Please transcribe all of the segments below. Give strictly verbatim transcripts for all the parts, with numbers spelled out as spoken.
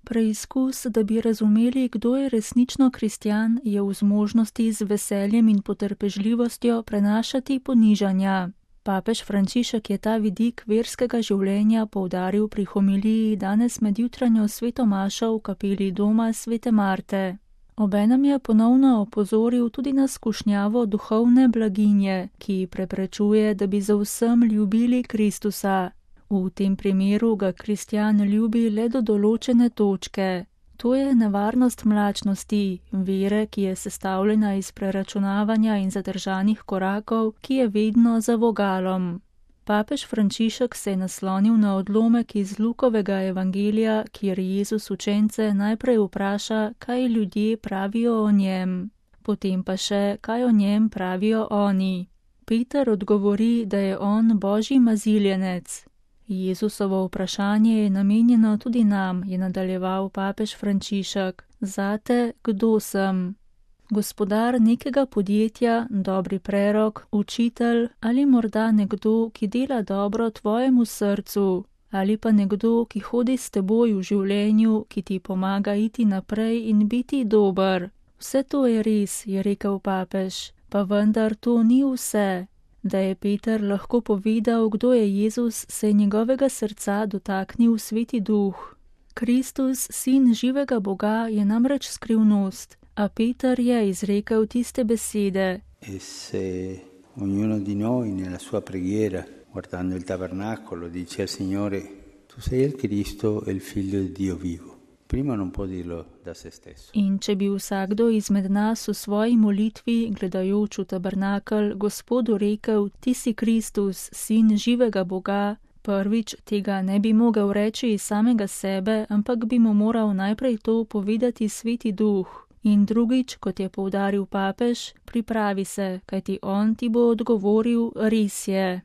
Preizkus, da bi razumeli, kdo je resnično kristjan, je v zmožnosti z veseljem in potrpežljivostjo prenašati ponižanja. Papež Frančišek je ta vidik verskega življenja poudaril pri homiliji danes med jutranjo sveto mašo v kapeli doma svete Marte. Obenem je ponovno opozoril tudi na skušnjavo duhovne blaginje, ki preprečuje, da bi za vsem ljubili Kristusa. V tem primeru ga kristjan ljubi le do določene točke. To je nevarnost mlačnosti, vere, ki je sestavljena iz preračunavanja in zadržanih korakov, ki je vedno za vogalom. Papež Frančišek se je naslonil na odlomek iz Lukovega evangelija, kjer Jezus učence najprej vpraša, kaj ljudje pravijo o njem, potem pa še, kaj o njem pravijo oni. Peter odgovori, da je on Božji maziljenec. Jezusovo vprašanje je namenjeno tudi nam, je nadaljeval papež Frančišek. Zate, kdo sem? Gospodar nekega podjetja, dobri prerok, učitelj ali morda nekdo, ki dela dobro tvojemu srcu, ali pa nekdo, ki hodi s teboj v življenju, ki ti pomaga iti naprej in biti dober. Vse to je res, je rekel papež, pa vendar to ni vse. Da je Peter lahko povedal, kdo je Jezus, se je njegovega srca dotaknil Sveti Duh. Kristus, sin živega Boga, je namreč skrivnost, a Peter je izrekel tiste besede. E se ognuno di noi nella sua preghiera, guardando il tabernacolo, dice al Signore, tu sei il Cristo e il Figlio di Dio vivo. Prima non può dirlo da se stesso. In če bi vsakdo izmed nas v svoji molitvi, gledajoč v tabernakel, Gospodu rekel, ti si Kristus, sin živega Boga, prvič tega ne bi mogel reči iz samega sebe, ampak bi mu moral najprej to povedati Sveti Duh. In drugič, kot je poudaril papež, pripravi se, kajti on ti bo odgovoril, res je.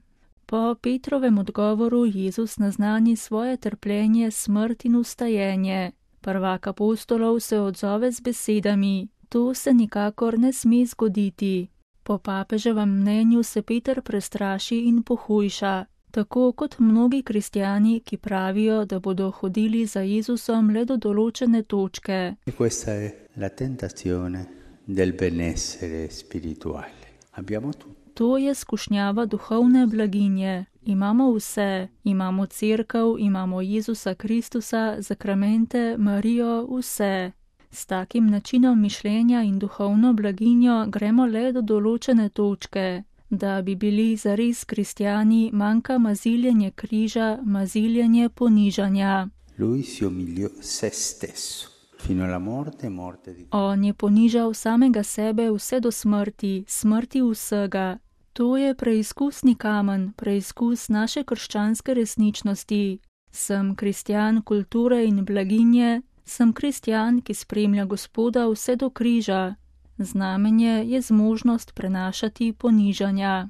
Po Petrovem odgovoru Jezus naznani svoje trpljenje, smrt in vstajenje. Prvak apostolov se odzove z besedami, to se nikakor ne sme zgoditi. Po papeževem mnenju se Peter prestraši in pohujša, tako kot mnogi kristjani, ki pravijo, da bodo hodili za Jezusom le do določene točke. E questa è la tentazione del benessere spirituale. Abbiamo tutto. To je skušnjava duhovne blaginje. Imamo vse, imamo cerkev, imamo Jezusa Kristusa, zakramente, Marijo, vse. S takim načinom mišljenja in duhovno blaginjo gremo le do določene točke. Da bi bili zares kristjani, manjka maziljenje križa, maziljenje ponižanja. Lui si umiliò se stesso. Fino alla morte, morte di... On je ponižal samega sebe vse do smrti, smrti vsega. To je preizkusni kamen, preizkus naše krščanske resničnosti. Sem kristjan kulture in blaginje, sem kristjan, ki spremlja Gospoda vse do križa. Znamenje je zmožnost prenašati ponižanja.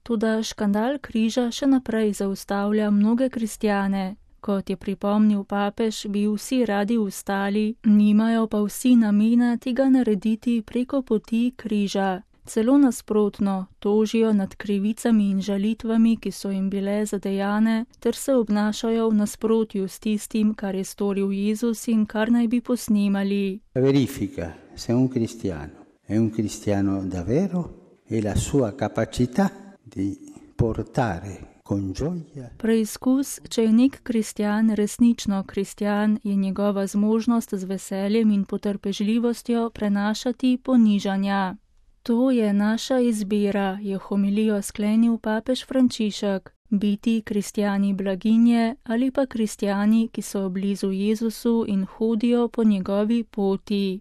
Toda škandal križa še naprej zaustavlja mnoge kristjane. Kot je pripomnil papež, bi vsi radi vstali, nimajo pa vsi namena tega narediti preko poti križa. Celo nasprotno, tožijo nad krivicami in žalitvami, ki so jim bile zadejane, ter se obnašajo v nasprotju s tistim, kar je storil Jezus in kar naj bi posnemali. Verifica se un cristiano è un cristiano davvero e la sua capacità di portare con gioia. Preizkus, če je nek kristjan resnično kristjan, je njegova zmožnost z veseljem in potrpežljivostjo prenašati ponižanja. To je naša izbira, je homilijo sklenil papež Frančišek. Biti kristjani blaginje ali pa kristjani, ki so blizu Jezusu in hodijo po njegovi poti.